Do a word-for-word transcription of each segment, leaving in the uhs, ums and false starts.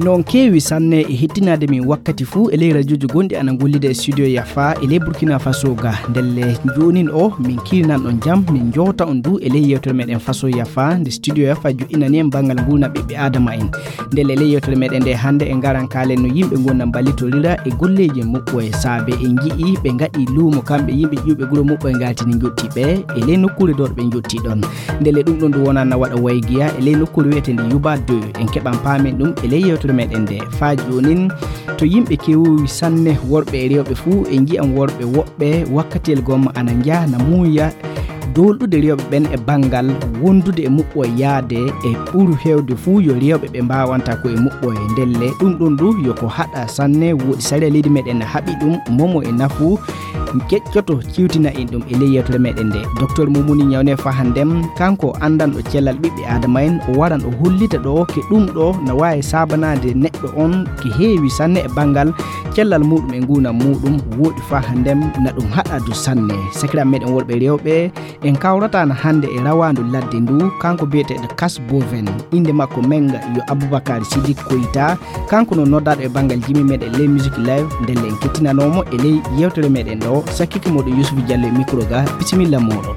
No on keewi sanne e hettinaade min wakkati fuu e ley rajoji gonɗi ana ngollida e studio Yafa e ley Burkina Faso ga. Ndelle joonin o, min kiirinan on jam, min jowta on du e ley yewtere meɗen Faso Yafa, nde studio Yafa joɗɗinani en banngal nguurndam ɓiɓɓe Aadama en. Ndelle e ley yewtere meɗen nde hannde en ngaran kaalen no yimɓe nguurndam mballitorira e golleeji muɓɓoye saabe en nji'i ɓe ngaɗi luumo kamɓe yimɓe ƴiwɓe gure muɓɓoye ngaltini njotti ɓe e ley nokkuure ɗo ɓe njotti ɗon. Ndelle ɗum ɗon du wonana waɗa waygiya e ley nokkuure wi'eteende Yuba deux. En keɓan paamen ɗum e ley yewtere meɗen nde. Faa joonin, to yimɓe keewi sanne worɓe e rewɓe fuu, en nji'an worɓe woɓɓe wakkatiyel gomma ana njaha na muuya doolɗude rewɓe ɓen e banngal wondude e muɓɓoye yaade e ɓuru heewde fuu yo rewɓe ɓe mbaawanta ko e muɓɓoye. Ndelle ɗum ɗon du yo ko haɗa sanne, woodi sariya leydi meɗen na haɓi ɗum, momo e nafu. Keƴcoto ciwtina en ɗum e ley yewtere meɗen nde. Docteur Mumuni Ñawne Fahandem, kanko anndanɗo cellal ɓiɓɓe Aadama en, o waran o hollita ɗo ke ɗum ɗo na waawi saabanaade neɗɗo on ke heewi sanne e banngal cellal muɗum e nguurndam muɗum, wooɗi Fahandem na ɗum haɗa du sanne. Sakiraaɓe meɗen worɓe e rewɓe, en kawrata na hannde e rawaandu ladde ndu, kanko biyeteeɗo Kas Boven, innde makko menga yo Abubakar Sidik Koyta, kanko no noddaaɗo e banngal jimi meɗen ley Music Live, ndelle en kettinanoomo e ley yewtere meɗen ɗo, sakkike moɗo Yusufu Diallo e micro ga, bisimilla moɗo.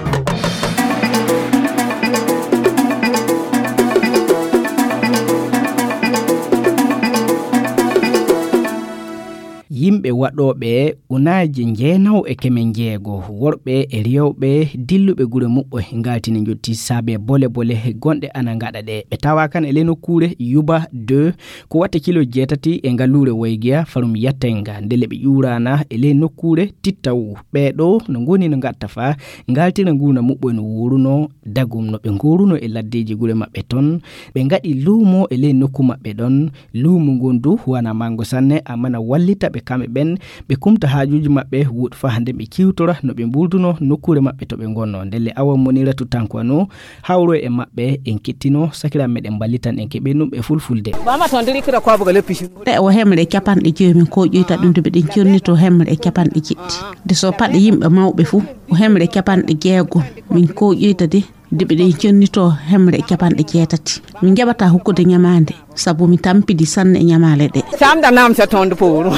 Yimɓe waɗooɓe unaaje jeenawo e keme jeego, worɓe e rewɓe dilluɓe gure muɓɓoye ngaltini njotti saabe bole bole gonɗe ana ngaɗa ɗe. Ɓe tawa kan e ley nokkuure Yuba deux, ko watta kilo jeetati e ngaluure Waygiya, farum Yattenga. Ndelle ɓe ƴuurana e ley nokkuure Tittawu. Ɓee ɗo no ngoni no ngatta fa ngaltira nguurndam muɓɓoye no wuuruno dagum no ɓe ngooruno e laddeeji gure maɓɓe ton. Ɓe ngaɗi luumo e ley nokku maɓɓe ɗon. Luumo ngon du wana mango sanne, amma na wallita ɓe kamɓe ɓen, ɓe kumta haajuuji maɓɓe, woɗi fa hannde ɓe kiwtora no ɓe mbuldunoo nokkuure maɓɓe to ɓe ngonnoo. Ndelle Awa Moniratu Tankwano hawro e maɓɓe, en kettinoo, sakiraaɓe meɗen mballitan en keɓen ɗum e fulfulde. Bama ton diri kira kwa buga leppi shi. Ɗe o hemre capanɗe jowi min ko ƴoyta ɗum de ɓeɗen connito hemre e capanɗe jeɗɗi. De so paɗe yimɓe mawɓe fuu, o hemre capanɗe jeego min ko ƴoyta de. De ɓeɗen connito hemre e capanɗe jeetati. Min njaɓata hokkude ñamaande, sabu mi tampidi sanne e ñamaale ɗe. Samda nam sa tondu puru.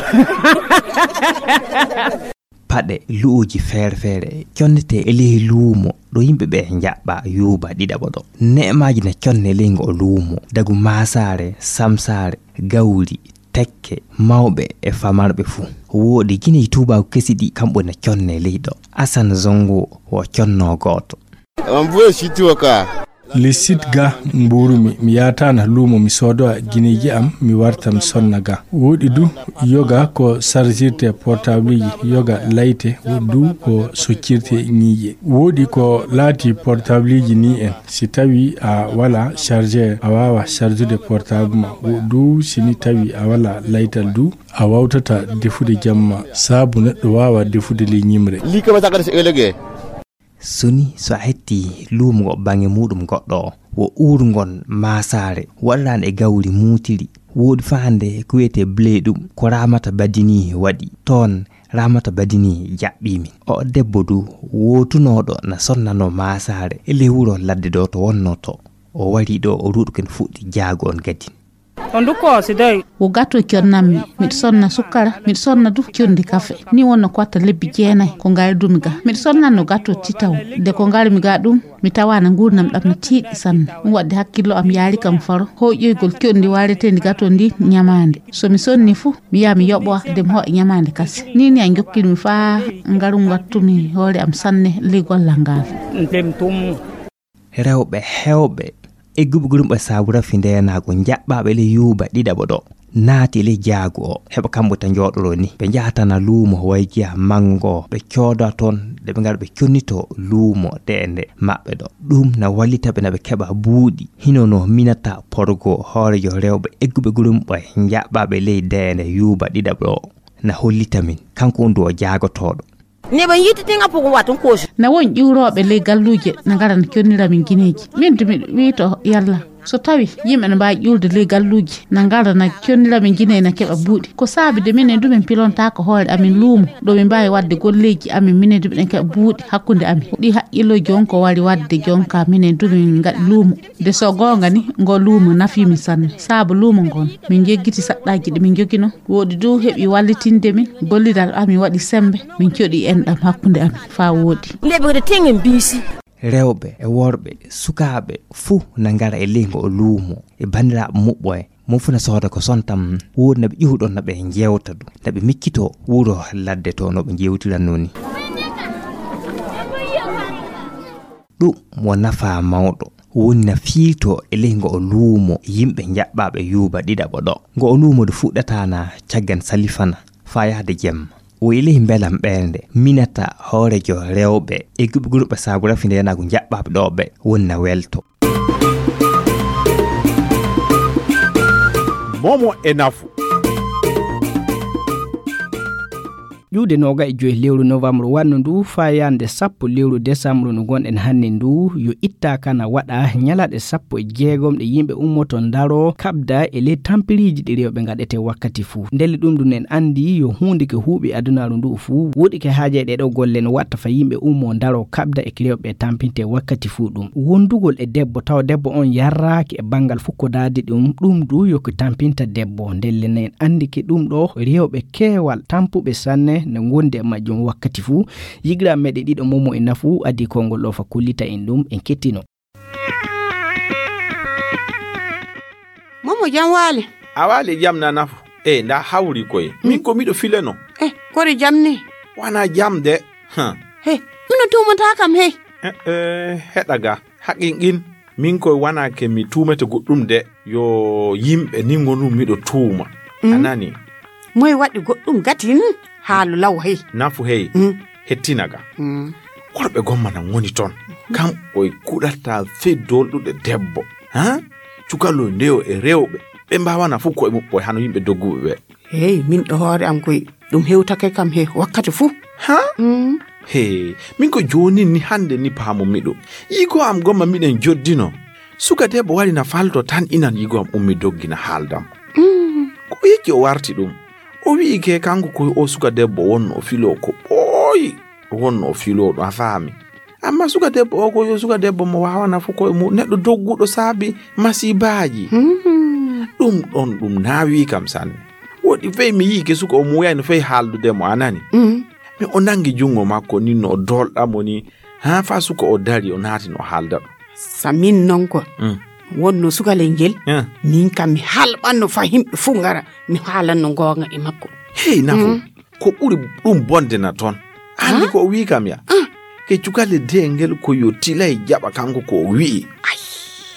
Paɗe lu'uji feere-feere connete e ley luumo ɗo yimɓe ɓe njaɓɓa yuuba ɗiɗaɓo ɗo. Ne'emaaji na conne ley ngo luumo, dagu maasaare, samsaare, gawri, tekke, mawɓe e famarɓe fuu. Wooɗi Gine e tuubaaku kesi ɗi kamɓe na conne ley ɗo. Asan Zongo wo conno gooto. Ambuwe siti waka. Lissit ga mbuurumi, mi yaataana luumo, mi soodowa gineeji am, mi warta, mi sonna ga. Wooɗi du yoga ko sarjirte portableji, yoga layte, woɗi du ko soccirte ñiiƴe. Wooɗi ko laati portableji ni en, si tawi a wala chargeur, a waawa charjude portable ma. Woɗi du si ni tawi a wala laytal du, a wawtata defude jamma, saabu neɗɗo waawa defude ley ñimre. Lii kama sakata si elege. Soni so a hetti luumo ngo baŋnge muuɗum goɗɗo, wo uurngol maasaare waɗiraande e gawri muutiri. Wooɗi fa hannde ko wiyetee blé ɗum, ko Raamata Badini waɗi. Toon Raamata Badini jaɓɓii min. O debbo du wootunooɗo na sonnanoo maasaare e ley wuro ladde ɗo to wonnoo to. O warii ɗo, o ruuɗi ko ene fuɗɗi jaago on gadin. On du ko si dey. Wo gato connammi, miɗo sonna sukkara, miɗo sonna du conndi kafe. Ni wonno ko watta lebbi jeenayi ko ngaridumi ga. Miɗo sonnanno gato titaw. De ko ngarmi ga ɗum, mi tawaana nguurndam ɗam no tiiɗi sanne. Ɗum waɗde hakkillo am yaari kam faro. Hoyƴoygol conndi waareteendi gato ndi ñamaande. So mi sonni fu, mi yaha mi yoɓowa de mi hoɗa ñamaande kase. Ni ni a jokkirmi faa ngarum wattumi hoore am sanne ley gollal ngal. Ndem tum. Rewɓe heewɓe egguɓe gurumɓe saabu rafi ndeenaagu njaɓɓaaɓe ley yuuba ɗiɗaɓo ɗo naati ley jaagu o. Heɓa kamɓe ta njooɗoroo ni. Ɓe njahata na luumo waygiya manngo, ɓe cooda toon, de ɓe ngara ɓe connitoo luumo ɗeende maɓɓe ɗo. Ɗum na wallita ɓe na ɓe keɓa buuɗi. Hino no minata porgo hoorejo rewɓe egguɓe gurumɓe njaɓɓaaɓe ley deende yuuba ɗiɗaɓo o na hollita min. Kanko on du o jaagotooɗo. Neɓe yittiti nga pugu watun kosi. Na won ƴuurooɓe ley galluuje na ngara na connira min gineeji. Min du miɗo wiito yalla So tawi yimɓe ne mbaawi ƴuulde ley galluuji, na ngara na connira ɓe, jinay na keɓa buuɗi. Ko saabi de minen du min pilontaako hoore amin luumo, ɗo min mbaawi waɗde golleeji amin, minen du miɗen keɓa buuɗi hakkunde amin. Ɗi haqqilloji on ko wari waɗde jonka minen du min ngaɗi luumo. De so goonga ni, ngo luumo nafi min sanne. Saabu luumo ngon, min jeggiti saɗɗaaji ɗi min jogino. Woɗi du heɓi wallitinde min, gollidal amin waɗi sembe, min coɗi enɗam hakkunde amin faa woɗi. Nde ɓe waɗi tengen biisi. Rewɓe e worɓe, sukaaɓe, fuu na ngara e ley ngo luumo, e banndiraaɓe muɓɓo en. Mo fuu na sooda ko sontam, woodi na ɓe ƴuwɗon, na ɓe njeewta du, na ɓe miccitoo wuro ladde to no ɓe njeewtiranno ni. Ɗum mo nafaa mawɗo, woni na fiiltoo e ley ngo o luumo yimɓe njaɓɓaaɓe yuuba ɗiɗaɓo ɗo. Ngo o luumo du fuɗɗataa na caggan salifana faa yahde jemma. O e ley mbelam ɓernde, minata hoorejo rewɓe e guɓe gurɓe saabu rafi nde yana ko njaɓɓaaɓe ɗo ɓe woni na welto. Momo e nafu. Ƴuwde nooga e joyi lewru novembre wanno ndu faa yande sappo lewru décembre no ngonɗen hannde ndu, yo ittaaka na waɗa ñalaɗe sappo e jeegom ɗe yimɓe ummoto ndaro kaɓda e ley tampiriiji ɗi rewɓe ngaɗete wakkati fuu. Ndelle ɗum ɗum en anndi yo huunde ke huuɓi adunaaru ndu fuu, woɗi ke haaje ɗe ɗo golle no watta fa yimɓe ummo ndaro kaɓda e rewɓe tampinte wakkati fuu ɗum. Wondugol e debbo tawa debbo on yarraaki e banngal fukkodaade ɗum, ɗum du yo ko tampinta debbo. Ndelle ne anndi ke ɗum ɗo rewɓe keewal tampuɓe sanne ne ngondi e majjum wakkati fuu. Yigiraaɓe meɗe ɗiɗo momo e nafu adii konngol ɗo fa kollita en ɗum en kettino. Momo jam waali. A waali jam na nafu. E nda hawri koye. Mm. Min ko miɗo fileno. E, kori jam ni? Wana jam de. Huh. He, mino tuumata kam he. E, e, heɗa ga. Haqqin qin. Min koye wana ke mi tuumete goɗɗum de. Yo yimɓe ni ngonu miɗo tuuma. Mm. A nani? Moye waɗi goɗɗum gatin? Haalu law hey. Nafu hey. Mm. Hettina ga. Mm. Worɓe gomma na ngoni ton. Kam koye kuɗata feddool ɗuɗe debbo. Ha? Cukalo ndeyo e rewɓe. Ɓe mbawana fof koye muɓɓo hano yimɓe dogguɓe ɓe. Hey, min ɗo hoore am koye ɗum hewtake kam he wakkati fuu. Ha? Mm. He, min ko jooni ni hannde ni paamu miɗo. Yigo am gomma miɗen joddino. Suka debbo wari na falto tan inan yigo am ummi doggi na haaldam. Mm. Ko yecci o warti ɗum. O wi'i ke kanko ko o suka debbo wonno o filo ko ɓooyi. Wonno o filo ɗum a faami. Amma suka debbo o ko yo suka debbo mo waawana fof koye mum. Neɗɗo dogguɗo saabi masibaaji. Hmm. Ɗum ɗon ɗum naawi kam sanne. Woɗi fey mi yi'i ke suka o muuyayno fey haaldude mo a nani. Hmm. Mi o nangi junngo makko ni no o dolɗa mo ni. Haa faa suka o dari o naati no haalda ɗum. Samin non ko. Hmm. Wonno sukalel ngel. Hmm. Min kam mi halɓanno faa yimɓe fuu ngara mi haalanno ngoonga e makko. Hey nafu. Hmm. Ko ɓuri ɗum bonde na toon. Anndi ko o wii kam ya. Ah. Ke cukale de ngel ko yo tilay jaɓa kanko ko o wi'i. Ay.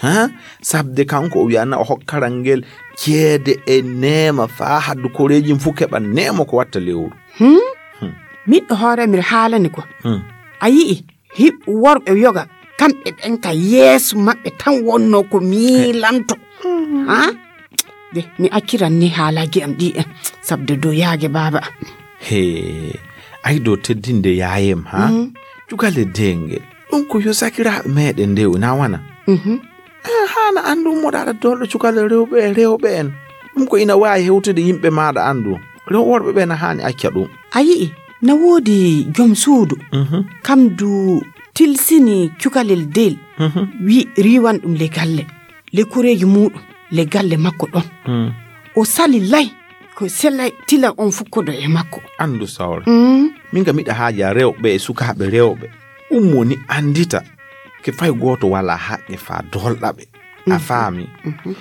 Ha? Sabde kanko o wi'ana o hokkaran ngel ceede e neema faa haddu koreeji fuu keɓa neema ko watta lewru. Hmm? Hmm. Miɗɗo hoore miɗo haalani ko. Hmm. A yi'i hiɓ worɓe yoga kamɓe ɓen ka yeeso maɓɓe tan wonno ko miilanto. Hmm. Ha? De, mi acciran ni haalaaji am ɗi en, sabde dow yaage baaba. He, ay dow teddinde yaayem, ha? Mhm. Cukale deenge. Ɗum ko yo sakiraaɓe meeɗen ndew, na wana? Mhm. Eh, haana anndu ummoɗo aɗa dolɗo cukale rewɓe e rewɓe en. Ɗum ko ina waawi hewtude yimɓe maaɗa anndu. Rew worɓe ɓe na haani acca ɗum. A yi'i, na woodi jom suudu. Mhm. Kam du tilsini cukalel del. Mhm. Wi riiwan ɗum le galle. Le kureeji muuɗum, le galle makko ɗon. Hmm. O sali lay, ko selay tila on fukkodo e makko. Anndu sawre. Hmm. Min ga miɗa haaja rewɓe e sukaaɓe rewɓe. Ummo ni anndita ke fay gooto wala haqqe faa dolɗa ɓe. A faami? Mhm.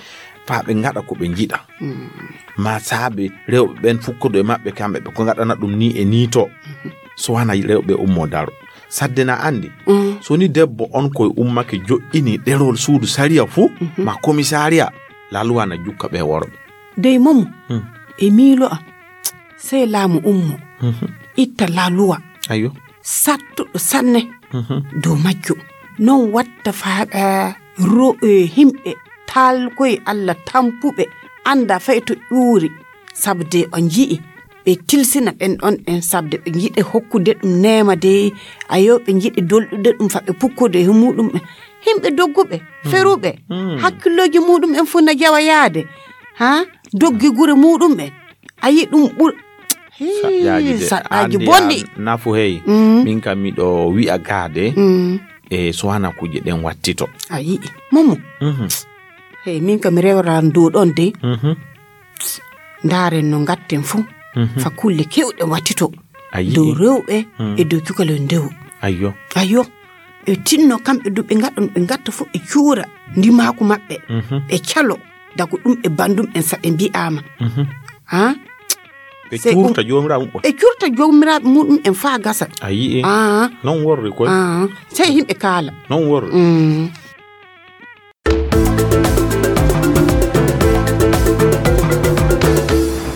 Faa ɓe ngaɗa ko ɓe njiɗa. Hmm. Ma saabe rewɓe ɓen fukkodo e maɓɓe kamɓe ɓe ko ngaɗana ɗum ni e ni to. Mhm. So wana rewɓe ummo daro. Sadde na anndi. Mm. So ni debbo on koye ummake joɗɗini ɗerol suudu sariya fuu, mhm, ma komisariya, laluwa na jukka ɓe worɓe. Dey momo, mm, e miilo am, sey laamu ummo, mhm, itta laluwa. Ayo. Sattuɗo sanne, mhm, dow majjo. Non watta faa, eh, ro-, eh, himɓe taalkoye Alla tampuɓe, annda fay to ƴuuri. Sabde on nji'i ɓe tilsina ɓen ɗon ɓen, sabde ɓe njiɗe hokkude ɗum neema de, ayo, ɓe njiɗi dolɗude ɗum fa ɓe pukkude e muɗum ɓen. Himɓe dogguɓe, feruɓe, hakkillooji muɗum'en fof na jawa yaade. Ha? Doggi gure muɗum'en. A yi ɗum ɓur-, hii, saɗɗaaji de, saɗɗaaji andi bonɗi. An nafu hey. Mm. Min kam miɗo wi'a gaade, mm, e so wana kuje ɗen wattito. A yi'i. Momo. Mhm. Hey, min kam mi rewran dow ɗon de. Mhm. Ndaaren no ngatten fuu. Mhm. Fa kulle kewɗe wattito. A yi'i. Dow rewɓe, mm, e dow cukalel ndewu. Ayyo. Ayyo. Ɓe tinno kamɓe du ɓe ngaɗon, ɓe ngatta fof ɓe cuura ndimaaku maɓɓe. Mhm. Ɓe calo dago ɗum e bandum en saɓe mbi'aama. Mhm. Ha? Ɓe sey ɗum cuurta joomiraaɓe muɓɓen. Ɓe cuurta joomiraaɓe muɗum en faa gasa. A yi'i. Ah. Non worri koy. Ah. Sey himɓe kaala. Non worri. Mm.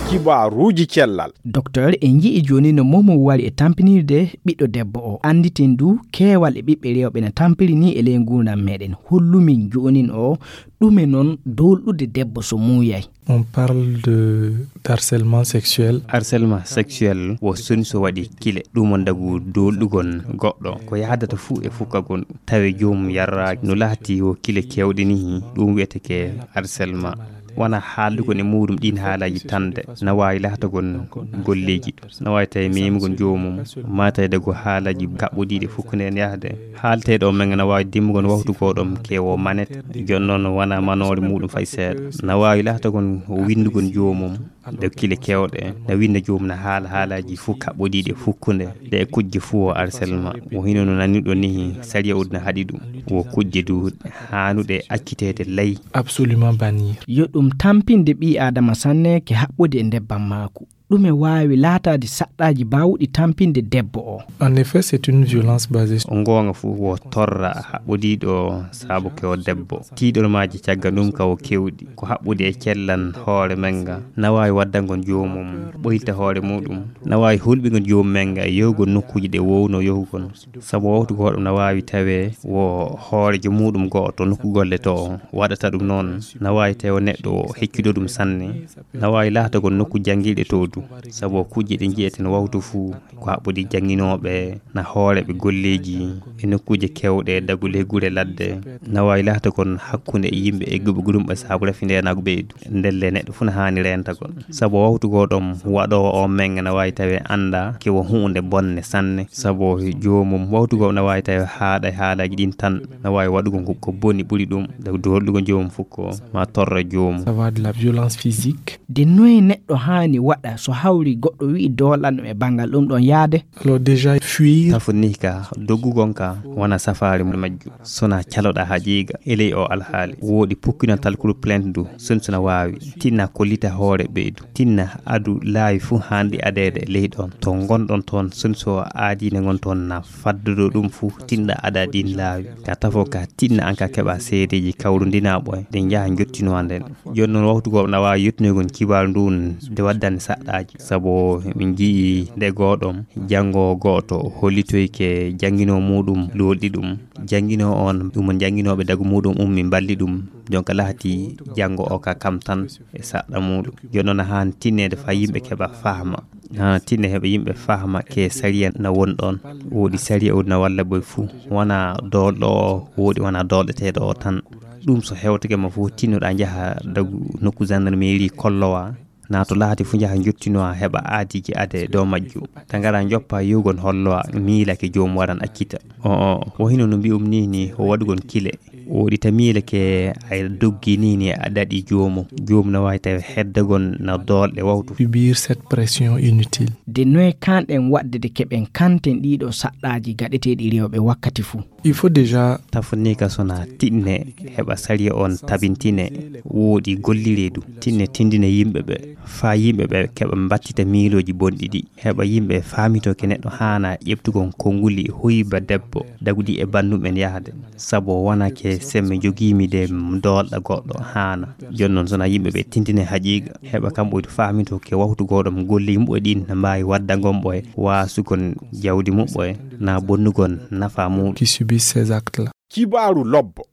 Kibaaruuji cellal. Docteur, en nji'i jooni no Momo wari e tampinirde ɓiɗɗo debbo o. Annditen du, keewal e ɓiɓɓe rewɓe na tampiri ni e ley nguurndam meɗen. Hollumin joonin o, ɗume non doolɗude debbo so muuyay? On parle de d'harcèlement sexuel. Harcèlement sexuel wo soni so waɗi kile. Ɗum on dagu doolɗugol goɗɗo. Ko yahdata fuu e fukkagol. Tawi joomum yarraaki no laati wo kile keewɗe ni, ɗum wi'eteke harcèlement. Wona haaldugo e muuɗum ɗiin haalaaji tan de, na waawi laatagol golleeji, na waawi tawi meemugol joomum, maa tawi dago haalaaji kaɓɓodiiɗi fukkunde en yahde. Haalteeɗo o men na waawi dimmugol waktu gooɗom ke wo manet, jooni noon wona manoore muuɗum fay seeɗa. Na waawi laatagol winndugol joomum, de kile keewɗe, na winnda joomum na haala haalaaji fuu kaɓɓodiiɗi fukkunde, de e kujje fuu o harcèlement. Wo hino no naniɗo nihi, sariya o na haɗi ɗum. Wo kujje du haanuɗe acciteede ley. Absolument bannir. Yo ɗum tampinde ɓii Aadama sanne ke haɓɓude e ndebbam maaku. Ɗume waawi laataade saɗɗaaji baawuɗi tampinde debbo o? En effet, c'est une violence basée sur... O ngoonga fuu wo torra haɓɓodiiɗo saabu ke o debbo. Tiiɗormaaji caggal ɗum ka o kewɗi. Ko haɓɓude e cellan hoore men nga. Na waawi waddangol joomum ɓoyta hoore muɗum. Na waawi hulɓingol joomum men nga yahugol nokkuuji ɗe wowno yahugol. Sabu waktu gooɗo na waawi tawee wo hooreejo muuɗum go'oto nokku golle to o waɗata ɗum noon. Na waawi tawee wo neɗɗo o heccuɗo ɗum sanne. Na waawi laatagol nokku janngiiɗe to du. Sabu kujje ɗe nji'eten waktu fuu ko haɓɓodi jannginooɓe, na hooreeɓe golleeji e nokkuuje keewɗe, dagu ley gure ladde. Na waawi laatagol hakkunde e yimɓe egguɓe gurumɓe saabu rafi ndeenaagu ɓeydu. Ndelle neɗɗo fuu na haani reentagol. Sabu waktu gooɗom waɗoowo o men na waawi tawee annda ke wo huunde bonne sanne. Sabu joomum waktu goo na waawi tawee haaɗa e haalaaji ɗin tan. Na waawi waɗugol ko, ko boni ɓuri ɗum. Dagu doolɗugol joomum fuu ko ma torra joomum. Ça va de la violence physique. De noye neɗɗo haani waɗa so hawri goɗɗo wi'i doolanɗum e banngal ɗum ɗon yaade? Alors déjà, fuir. Tafo ni ka doggugol ka wona safaari majju. Sona caloɗa haqiiqa e ley o alhaali. Wooɗi pukkinol talkuru plainte du, soni sona waawi. Tinna kollita hoore ɓeydu. Tinna adu laawi fuu haanɗi adeede ley ɗon. To ngonɗon toon, soni so aadiine ngon toon na faddodo ɗum fuu, tinɗa ada ɗin laawi. Ka tafo ka tinna an ka keɓa seedeeji kawrundinaaɓo e ɗe njaha njottinowa nden. Jooni noon waktu goo na waawi yottinogol kibaaru ndun de waddani saɗɗaaji. Sabu min nji'i nde gooɗom janngo go'oto hollitoyke jannginoo muuɗum luulɗi ɗum. Jannginoo on, ɗum on jannginooɓe dagu muuɗum ummi mballi ɗum. Jonka laati janngo o ka kam tan e saɗɗa muuɗum. Jooni noon haani tinneede faa yimɓe keɓa fahma. Haani tinne heɓa yimɓe fahma ke sariya na won ɗon. Wooɗi sariya o na walla boy fuu. Wona doolɗo o, wooɗi wona doolɗeteeɗo o tan. Ɗum so hewtake ma fuu, tinnoɗa njaha dagu nokku gendarmerie kollowa. Na to laati fuu njaha njottinowa heɓa aadiiji ade dow majju. Ta ngara njoppa yewgon hollowa miilake joom waran accita. O, o, wo hino no mbi'um ni, ni o waɗugon kile. Wooɗi ta miilake ay doggi ni, ni a daɗi joomu. Joom na waawi tawi heddagon na doolɗe wawtu. Subir cette pression inutile. De noye kanɗen waɗde de keɓen kanten ɗiɗo saɗɗaaji gaɗeteeɗi rewɓe wakkati fuu? Il faut déjà... Tafo ni ka sona tinne heɓa sariya on tabintine, wooɗi gollire du. Tinne tindina yimɓe ɓe, faa yimɓe ɓe keɓa mbattita miilooji bonɗi ɗi. Heɓa yimɓe faamito ke neɗɗo haana ƴeɓtugol konnguli huyba debbo, dagudi e banndum en yahde. Sabu wona ke semme jogiimi de doolɗa goɗɗo haana. Jooni noon sona yimɓe ɓe tindine haqiiqa, heɓa kamɓe faamito ke waktu gooɗo mo golle yimɓe ɗin na mbaawi waddagol ɓe waasugol jawdi muɓɓe na bonnugol nafa muuɗum. Qui subissent ces actes-là. Kibaaru lobbo.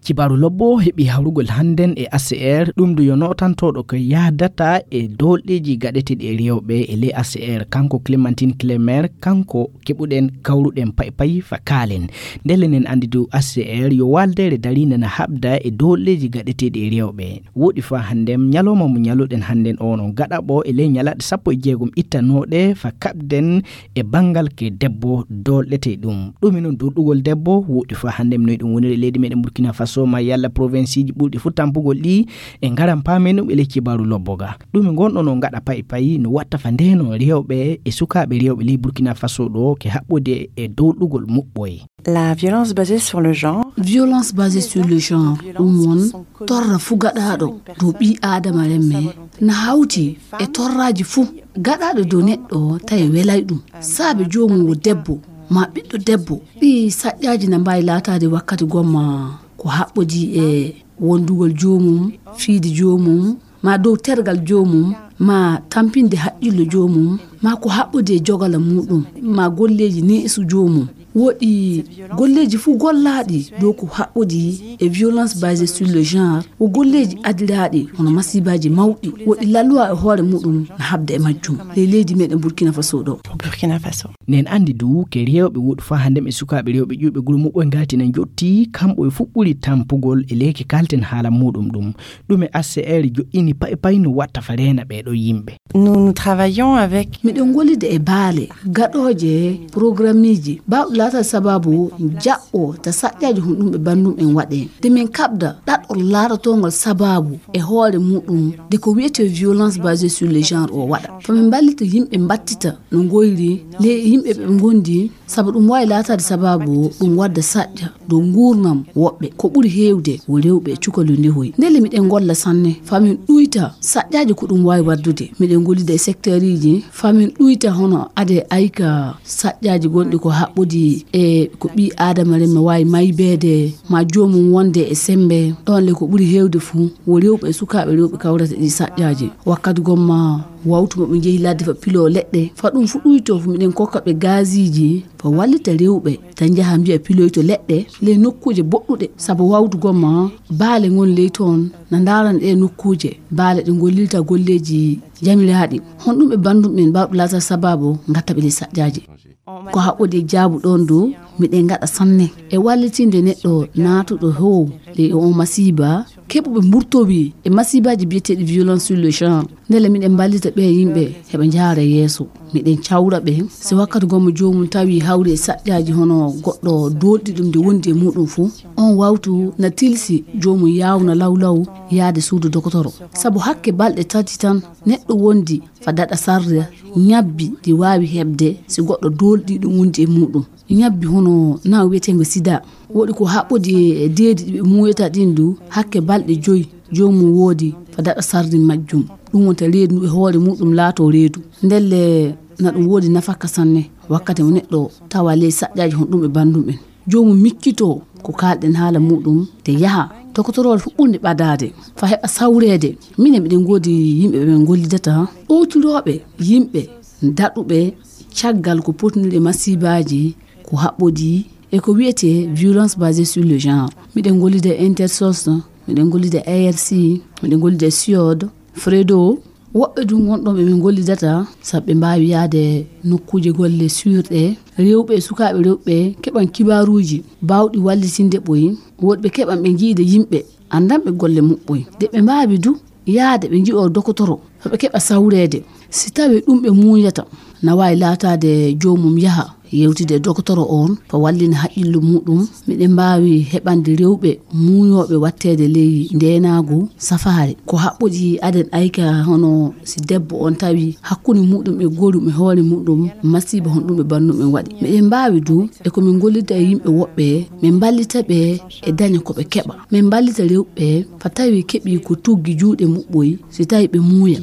Kibaaru lobbo heɓi hawrugol hannden e A C R, ɗum du yo nootantooɗo ko yahdata e doolɗeeji gaɗeteeɗi e rewɓe e ley A C R, kanko Clémentine Clémer, kanko keɓuɗen kawruɗen pay pay fa kaalen. Ndelle nen anndi du A C R yo waaldeere dariinde na haɓda e doolɗeeji gaɗeteeɗi e rewɓe. Woɗi fa hannden ñalawma mo ñaluɗen hannden o no gaɗaɓo e ley ñalaaɗe sappo e jeegom ittanooɗe fa kaɓden e banngal ke debbo doolɗete ɗum. Ɗum e noon doolɗugol debbo woɗi fa hannden no ɗum woniri e leydi meɗen Burkina Faso ma yalla provinceeji ɓurɗi fu tampugol ɗi e ngaran paamen ɗum e ley kibaaru lobbo ga. Ɗum e ngon ɗo no gaɗa pay pay no watta fa ndeno rewɓe e sukaaɓe rewɓe ley Burkina Faso ɗo ke haɓɓude e doolɗugol muɓɓoy. La violence basée sur le genre. Violence basée sur le genre, ɗum won torra fu gaɗaaɗo dow ɓii aadama remme, na hawti e torraaji fu gaɗaaɗo dow neɗɗo tawi welay ɗum. Saabe joomum wo debbo, ma ɓiɗɗo debbo, ɗi saƴƴaaji na mbaawi laataade wakkati gomma ko haɓɓodii e wondugol joomum, fiide joomum, ma dow tergal joomum, ma tampinde haqqillo joomum, ma ko haɓɓodi e jogala muɗum, ma golleeji neesu joomum. Woɗi golleeji fuu gollaaɗi dow ko haɓɓodi e violence basée sur le genre, wo golleeji adiraaɗi hono masiibaaji mawɗi. Woɗi laluwa e hoore muɗum na haɓda e majjum ley leydi meɗen Burkina Faso ɗo. Burkina Faso. Nen anndi du ke rewɓe woɗi faa hannde e sukaaɓe rewɓe ƴuuɓe gure muɓɓoy ngaati na njotti, kamɓe e fuɗɗuri tampugol e leyke kalten haala muɗum ɗum. Ɗum e A C R joɗɗini pay pay no watta fa reena ɓee ɗoo yimɓe. Nous, nous travaillons avec. Miɗen gollida e baale gaɗooje programmeeji baawɗi laataade sabaabu jaɓɓo ta saƴƴaaji hon ɗum ɓe banndum en waɗee. De min kaɓda ɗaɗol laaratongol sabaabu e hoore muɗum de ko wiyetee violence basée sur le genre o waɗa. Fa min mballita yimɓe mbattita no ngoyri le yimɓe ɓe ngondi. Sabu ɗum waawi laataade sabaabu ɗum wadda saƴƴa dow nguurnam woɓɓe. Ko ɓuri heewde wo rewɓe e cukalel ndehoy. Ndelle miɗen ngolla sanne faa min ɗuyta saƴƴaaji ko ɗum waawi waddude. Miɗen gollida e sekteeriiji faa min ɗuyta hono ade ayka saƴƴaaji gonɗi ko haɓɓodi e ko ɓii aadama remme waawi maybeede ma joomum wonde e semmbe. Ɗoon le ko ɓuri heewde fuu wo rewɓe e sukaaɓe rewɓe kawrata ɗi saƴƴaaji. Wakkati gomma wawtu mo ɓe njehi ladde fa piloo leɗɗe, fa ɗum fu ɗuytoo fu miɗen kokka ɓe gaasiiji fa wallita rewɓe tan njaha mbiya piloyto leɗɗe ley nokkuuje boɗɗuɗe. Sabu wawtu gomma baale ngon ley toon na ndaarana ɗee nokkuuje, baale ɗe ngollirta golleeji jamiraaɗi. Honɗum ɓe banndum ɓen baawɓe laataade sabaabu ngatta ɓe ley saƴƴaaji? Ko haɓɓodi e jaabu ɗoon du miɗen ngaɗa sanne e wallitinde neɗɗo naatuɗo how ley o masiiba, keɓuɓe mburtowi e masiibaaji biyeteeɗi violence sur le genre. Ndelle miɗen mballita ɓee yimɓe heɓa njaara yeeso. Miɗen cawra ɓe si wakkati gomma joomum tawi hawri e saƴƴaaji hono goɗɗo doolɗi ɗum nde wondi e muɗum fuu, on wawtu na tilsi joomum yaawna lawlaw yaade suudu dokotoro. Sabu hakke balɗe tati tan neɗɗo wondi fa daɗa sarde ñabbi ɗi waawi heɓde si goɗɗo doolɗi ɗum wondi e muɗum. Ñabbi hono naw wiyeteengo sida, woɗi ko haɓɓodi e deedi ɗi ɓe muuyata ɗin du, hakke balɗe joyi joomum woodi fa daɗa sarde majjum. Ɗum wonta reedu e hoore muɗum laatoo reedu. Ndelle na ɗum woodi nafaka sanne wakkati mo neɗɗo tawa ley saƴƴaaji hon ɗum e banndum en. Joomum miccitoo ko kaalɗen haala muɗum de yaha dokotoroore fuɗɗunde ɓadaade fa heɓa sawreede. Minen miɗen ngoodi yimɓe ɓe min ngollidata ɗowtirooɓe yimɓe daɗuɓe caggal ko potniri e masiibaaji ko haɓɓodi e ko wiyetee violence basée sur le genre. Miɗen gollida e Intersos, miɗen gollida e A R C, miɗen gollida e siod, fredo. Woɓɓe du ngonɗon ɓe min gollidata sabu ɓe mbaawi yaade nokkuuje golle suurɗe. Rewɓe e sukaaɓe rewɓe keɓan kibaaruuji baawɗi wallitinde ɓoy. Woɗɓe keɓan ɓe njiida yimɓe anndanɓe golle muɓɓoy de ɓe mbaawi du yaade ɓe nji'oo dokotoro fa ɓe keɓa sawreede. Si tawii ɗum ɓe muuyata na waawi laataade joomum yaha yewtide e dokotoro on fa wallina haqqillo muɗum. Miɗen mbaawi heɓande rewɓe muuyooɓe watteede ley ndeenaagu safaare ko haɓɓodi aden ayka hono si debbo on tawi hakkunde muɗum e gorum e hoore muɗum masiiba honɗum e banndum en waɗi. Miɗen mbaawi du e ko min gollida e yimɓe woɓɓe min mballita ɓe e daña ko ɓe keɓa. Min mballita rewɓe fa tawi keɓi ko tuggi juuɗe muɓɓoy si tawi ɓe muuya.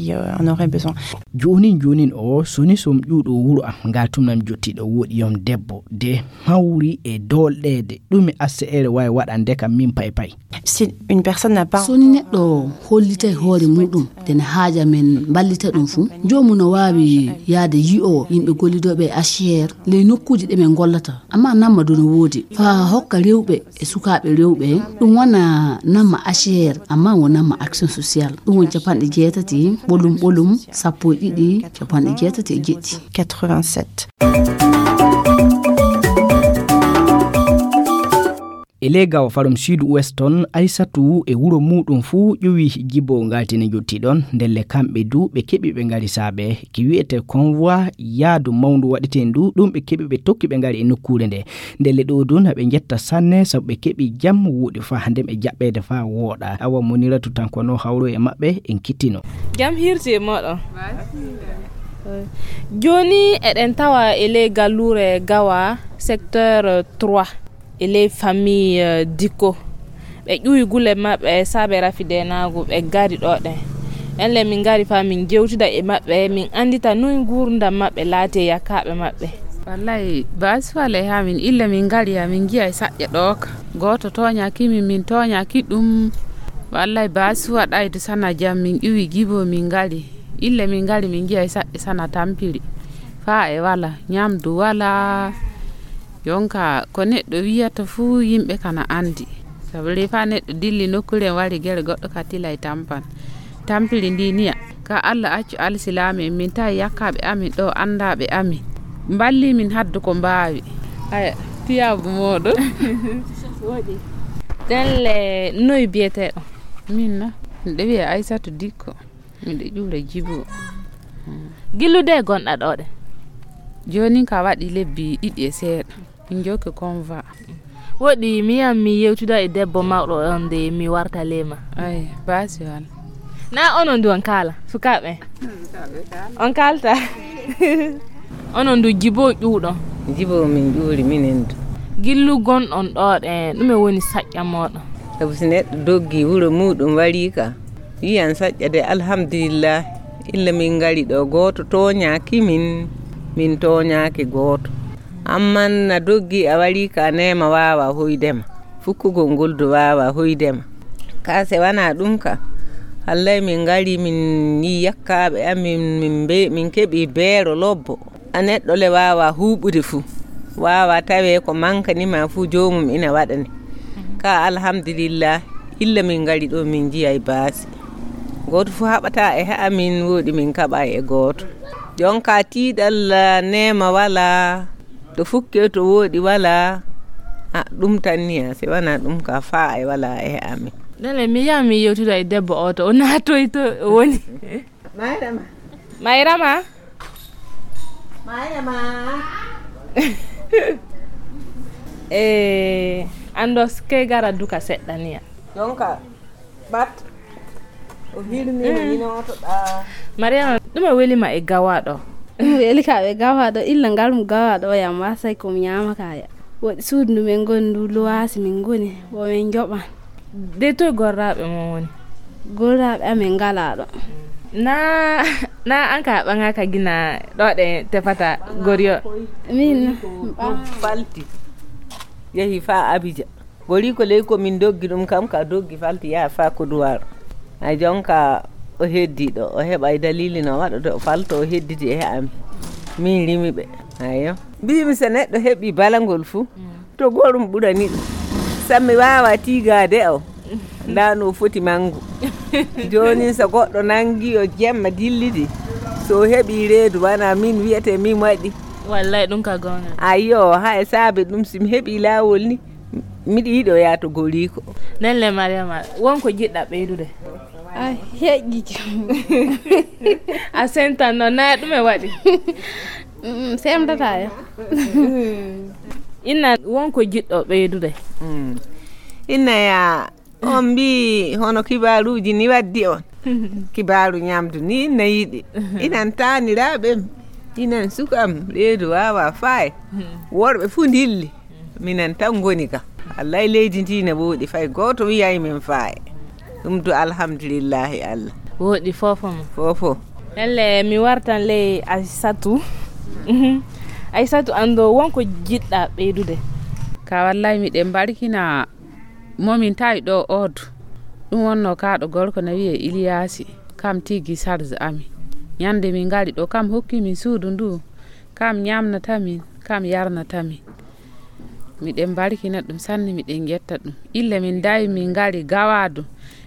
Joonin joonin o soni som ƴuuɗo wuro am ngal tumnam jottiɗo woɗi. Joom debbo de hawri e doolɗeede. Ɗume H C R waawi waɗande kam min pay pay? Si une personne n'a pas So neɗɗo hollitay hoore muɗum, ene haaja men mballita ɗum fuu. Joomum no waawi yahde yi'o yimɓe gollidooɓe e H C R ley nokkuuji ɗe min ngollata. Amma namma du no woodi. Faa hokka rewɓe e sukaaɓe rewɓe, ɗum wona namma H C R, amma wo namma action sociale. Ɗum woni capanɗe jeetati, ɓolum ɓolum, sappo e ɗiɗi, capanɗe jeetati e jeɗɗi. Quatre-vingt-sept. E ley Gawo Farum Sud Ouest toon, Aysatu e wuro muuɗum fuu ƴuwi Jibo ngalti ne njotti ɗoon. Ndelle kamɓe du ɓe keɓi ɓe ngari saabe ki wiyetee convoi yaadu mawndu waɗeteendu, ɗum ɓe keɓi ɓe tokki ɓe ngari e nokkuure nde. Ndelle ɗo du na ɓe njetta sanne sabu ɓe keɓi jam wuuɗi faa hannde ɓe jaɓɓeede faa wooɗa. Awa Muniratu tan ko no hawro e maɓɓe en kittino. Jam hirti e mooɗon. Jooni eɗen tawa e ley galluure Gawa secteur trois e ley famille, eh, Dikko. Ɓe ƴuwi gule maɓɓe saabe rafi deenaagu, ɓe ngari ɗo ɗen. En le min ngari faa min jewtida e maɓɓe, min anndita noy nguurndam maɓɓe laati e yakkaaɓe maɓɓe. Wallay, baasi wala e haa min illa min ngari haa min njiya e saƴƴa ɗo ka. Gooto tooñaaki min, min tooñaaki ɗum. Wallay, baasi waɗayde sana jam min ƴuwi Jibo min ngari. Illa min ngari min njiya e saƴƴa sana tampiri. Faa e wala, ñamdu wala. Jonka ko neɗɗo wiyata fuu yimɓe kana anndi. Sabu ley faa neɗɗo dilli nokkuure en wari gere goɗɗo ka tila e tampan. Tampiri ndi niya. Ka Alla accu alsilaame en, min tawi yakkaaɓe amin ɗo, anndaaɓe amin. Mballi min haddu ko mbaawi. Aya, tiyaabu mooɗon. Woɗi. Ɗen le, noy biyeteeɗo? Min na, miɗo wiya Aysatu Dikko. Miɗo ƴuura Jibo. Gillude gonɗa ɗo ɗe? Jooni ka waɗi lebbi ɗiɗi e seeɗa. Min jokki convoi. Woɗi mi yam mi yewtida e debbo mawɗo on de mi warta lema. Ay, baasi wala. Na onon du on kaala, sukaaɓe? On kaalta? Onon du Jibo ƴuuɗon? Jibo min ƴuuri minen du. Gillu gonɗon ɗo ɗe, ɗume woni saƴƴa mooɗon? Sabu si neɗɗo doggi wuro muuɗum warii ka, yiyan saƴƴa de, alhamdulillah, illa min ngari ɗo, gooto tooñaaki min, min tooñaaki gooto. Amman na doggi a warii ka, neema waawa hoyde ma, fukkugol ngol du waawa hoyde ma. Ka se wanaa ɗum ka, hallay min ngari min yii yakkaaɓe amin, min mbe-, min keɓi beero lobbo. A neɗɗo le waawa huuɓude fuu, waawa tawee ko mankani ma fuu joomum ina waɗani. Ka alhamdulillah, illa min ngari ɗo min njiyay baasi. Gooto fuu haɓataa e ha'a min, wooɗi min kaɓay e gooto. Jonka tiiɗal, neema walaa, to fukkee to wooɗi walaa. A, ɗum tan ni, a, si wanaa ɗum ka faa e walaa e ha'a min. Nene, mi yaha mi yewtida e debbo o to o naatoy to o woni. Mayrama. Mayrama? Mayrama. Eh, anndo kay gara duka seɗɗa niya. Jonka, bat. O hirni no inotoɗa. Mariama, ɗume weli ma e gawaɗo? Ɗum weli ka ɓe gawaɗo, illa ngal mo gawaɗo o yam wasay ko mi ñaama kaya. Woɗi suudu ndu min ngoni ndu luwaasi min ngoni, wo min njoɓan. De toy gorraaɓe mon woni? Gorraaɓe amin ngalaa ɗo. Na, na an ka ɓaŋaaka gina ɗo ɗe tefata goriyo? Min na. Falti. Yehi faa Abidjan. Goriiko ley ko min doggi ɗum kam ka doggi falti yaha faa Koduwaaru. Ay jonka o heddi ɗo, o heɓa e dalili no waɗa ɗo falto o hedditi e am. Min rimi ɓe. Ayo. Mbimi so neɗɗo heɓi balangol fuu, to gorum ɓurani ɗum. Sammi waawa tiigaade o. Ndaa no foti manngu. Jooni so goɗɗo nanngi o jemma dillidi. So o heɓi reedu wana min wiyete min waɗi. Wallay ɗum ka goonga. Ayyo, hay saabe ɗum si mi heɓi laawol ni, miɗo yiɗo yaato goriiko. Nelle Mariama, won ko jiɗɗa ɓeydude? A heƴƴi. A sentan noon, na ɗum e waɗi? Mm, semtata ya. Inna, won ko jiɗɗo ɓeydude? Mm. Inna ya, on mbi hono kibaaruuji ni waddi on. Kibaaru ñamdu ni na yiɗi. Inan taaniraaɓe am, inan suka am, reedu waawa faay. Worɓe fuu ndilli. Minen tan ngoni ga. Wallay leydi ndi ne woɗi, fay gooto wiyay min faay. Ɗum du alhamdulillahi Allah. Woɗi fofo mo. Fofo. Elle mi wartan ley Aysatu. Mhm. Aysatu, anndo won ko jiɗɗa ɓeydude? Ka wallay miɗen mbarkina momin tawi ɗo Odu. Ɗum wonno kaɗo gorko na wiye Iliyaasi. Kam tigi sarge ami. Ñande min ngari ɗo, kam hokki min suudu ndu. Kam ñamnata min, kam yarnata min. Miɗen mbarkina ɗum sanne, miɗen ngetta ɗum. Ille min dawi min ngari gawa du.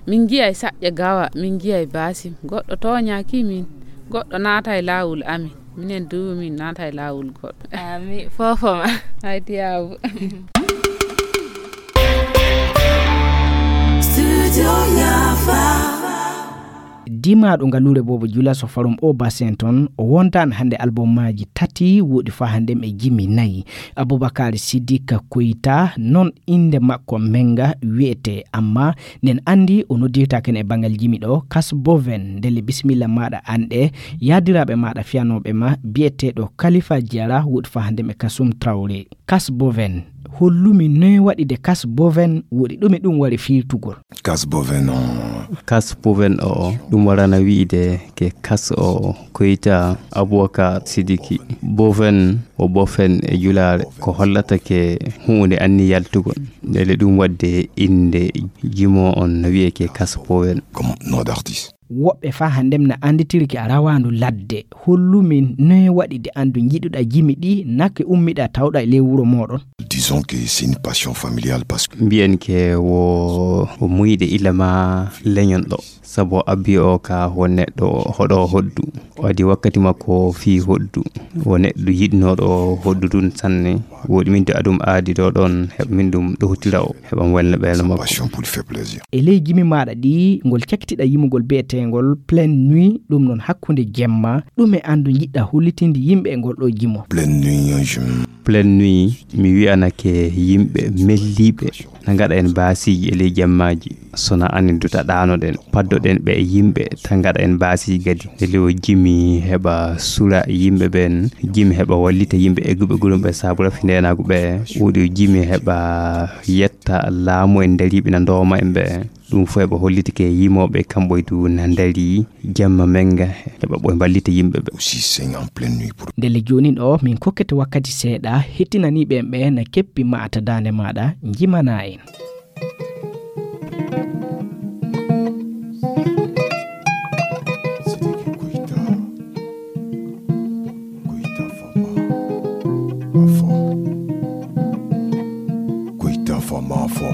Min njiyay saƴƴa gawa, min njiyay basim. Goɗɗo tooñaki min, goɗɗo naatay laawol amin. Minen du min naatay laawol goɗɗo. Ami fofoma. Ay tiyaabu. Studio Yafa. Dimaaɗo ngaluure Boobo Jula so farum o Basin toon, o wontaan hannde album maaji tati, woɗi faa hannde e jimi nayi. Abubakar Sidika Koyta, noon innde makko Menga wiyetee, amma nen anndi o noddirtaake e banngal jimi ɗo, Kas Boven, ndelle bisimilla maaɗa anɗe, yaadiraaɓe maaɗa fiyanooɓe ma, biyeteeɗo Kalifa Jara, woɗi faa hannde e Kasum Traoré. Kas Boven, hollumi noy waɗi de Kas Boven woɗi ɗume ɗum wari fiirtugol? Kas Boven o. Kas Boven o, ɗum warana wi'ide ke Kas o Koyta Abubakar Sidiki. Boven o bofen e julaare, ko hollata ke huunde anni yaltugol. Ndele ɗum waɗde innde jimo on no wi'e ke Kas Boven. Comme nom d'artiste. Woɓɓe faa hanndem na annditiri ki a rawaandu ladde. Hollumin noye waɗi de anndu njiɗuɗa jimi ɗi, nakke ummiɗa tawɗa e ley wuro mooɗon? Disons que c'est une passion familiale parce que mbiyen ke wo, wo muyɗe ila ma leñon ɗo. Sabu abbi o ka wo neɗɗo hoɗo hoddu. Waɗi wakkati makko fii hoddu. Wo neɗɗo yiɗnooɗo hoddu ɗum sanne. Woɗi min to aɗum aadi ɗo ɗon, heɓa min ɗum ɗowtira o, heɓa mi welna ɓeelo makko. Passion pour lui faire plaisir. E ley jimi maaɗa ɗi, ngol cakkitiɗa yimugol bi'eteengol Pleine Nuit, ɗum noon hakkunde jemma, ɗume anndu njiɗɗa hollitinde yimɓe e ngol ɗo jimo? Pleine Nuit, je Pleine Nuit, mi wi'anake yimɓe melliiɓe na ngaɗa en baasiiji e ley jemmaaji. Sona anin duta ɗaanoɗen, paddoɗen ɓe e yimɓe, ta ngaɗa en baasiiji gadi. Ndele o jimi heɓa sura yimɓe ɓen, jimi heɓa wallita yimɓe egguɓe gurum ɓe sabu rafi ndenaagu ɓe. Woɗi o jimi heɓa yetta laamu en dariiɓe na ndooma en ɓe. Ɗum fof heɓa hollitike yimooɓe kamɓe du na ndarii jamma menga heɓa ɓoy mballita yimɓe ɓe. Aussi sing en pleine nuit pour Ndele joonin o, min kokkete wakkati seeɗa, hettinanii ɓen ɓe na keppi maata daande maaɗa, njimana en. Sidiki Koita. Koita Fama. Afo. Koita Fama Afo.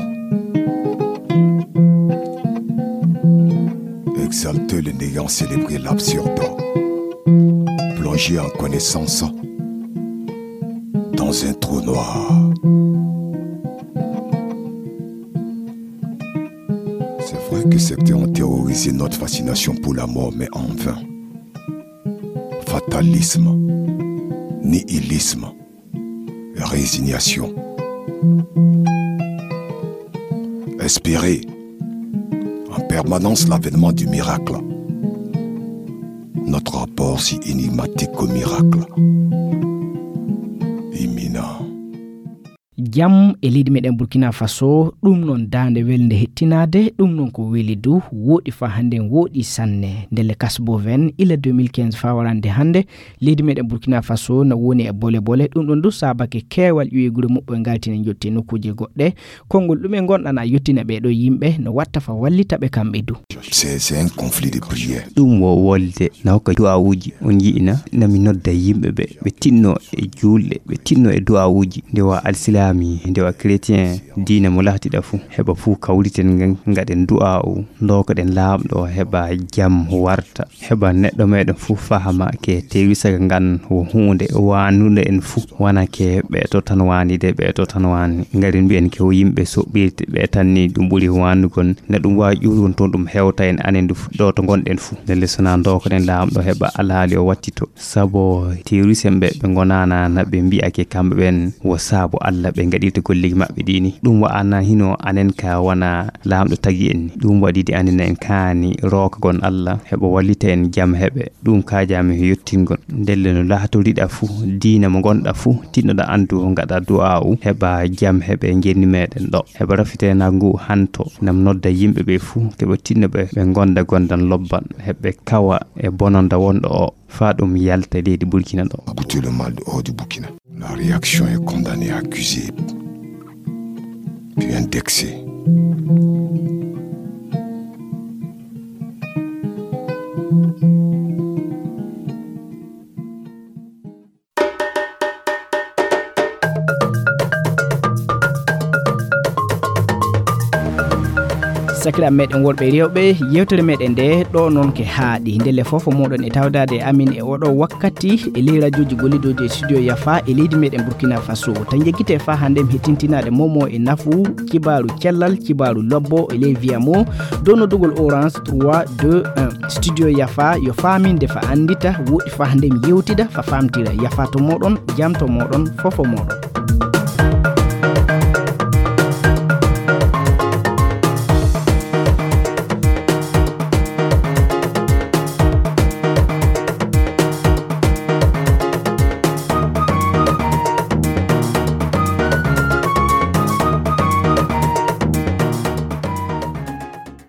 Exalter le néant, célébrer l'absurde. Plonger en connaissance dans un trou noir. C'est vrai que certains ont théorisé notre fascination pour la mort, mais en vain. Fatalisme, nihilisme, résignation. Espérer en permanence l'avènement du miracle. Notre rapport si énigmatique au miracle. Imminent. Jam e leydi meɗen Burkina Faso, ɗum noon daande welnde hettinaade, ɗum noon ko weli du, wooɗi faa hannden wooɗi sanne. Ndelle Kasboven, ila deux mille quinze faa warande hannde, leydi meɗen Burkina Faso na woni e bole bole, ɗum ɗon du saabake keewal ƴuwe gure muɓɓoy ngaltine njotti e nokkuuje goɗɗe. Konngol ɗume ngonɗan a yottina ɓee ɗoo yimɓe, no watta faa wallita ɓe kamɓe du? C'est, c'est un conflit de prière. Ɗum wo wolde na hokka du'aawuuji. On yi'ina, na mi nodda yimɓe ɓe, ɓe tinno e juulɗe, ɓe tinno e du'aawuuji. Ndewa alsilaami, ndewa chrétien, diina mo lahtiɗa fuu, heɓa fuu kawriten ngan, ngaɗen du'aawu, ndookoɗen Laamɗo, heɓa jam warta, heɓa neɗɗo meɗen fuu fahama ke tewisaga ngan wo huunde waanunde en fuu, wana ke ɓe to tan waanide, ɓe to tan waani. Ngari mbiyen ke wo yimɓe soɓɓirte, ɓe tan ni ɗum ɓuri waanugol. Na ɗum waawi ƴuurugol toon ɗum hewta en anen du fu-, ɗo to ngonɗen fuu. Ndelle so na ndookoɗen Laamɗo heɓa alhaali o wattito. Sabo terroriste en ɓe, ɓe ngonaana na ɓe mbi'ake kamɓe ɓen wo saabu Alla ɓe ngaɗirta golleeji maɓɓe ɗi ni. Ɗum wa'ana hino anen ka wana Laamɗo tagi en ni. Ɗum waɗi de anen en kaani rookagon Alla heɓa wallita en jam heɓe. Ɗum kaajami he yottingol. Ndelle no laatoriɗa fuu, diina mo ngonɗa fuu, tinnoɗa anndu ngaɗa du'aa'u heɓa jam heɓe ngenni meɗen ɗo. Heɓa rafiteenaagu ngu hanto, nam nodda yimɓe ɓe fuu, keɓe tinno ɓe, ɓe ngonda gondan lobban, heɓe kawa e bononda wonɗo o, faa ɗum yalta leydi Burkina ɗo. Goûter le mal hors du Burkina. La réaction est condamnée, accusée, puis indexée. Sakiraaɓe meɗen worɓe e rewɓe, yewtere meɗen nde ɗo noon ke haaɗi. Ndelle fof moɗon e tawdaade e amin e oɗo wakkati e ley rajooji gollidooji e studio Yafa e leydi meɗen Burkina Faso. Tan jeggite fa hannde mi hettintinaade momo e nafu kibaaru cellal, kibaaru lobbo e ley viyamo dow noddugol Orange trois deux un. Studio Yafa yo faaminde fa anndita, woɗɗi fa hannde mi yewtida fa faamtira. Yafa to moɗon, jam to moɗon, fofo moɗon.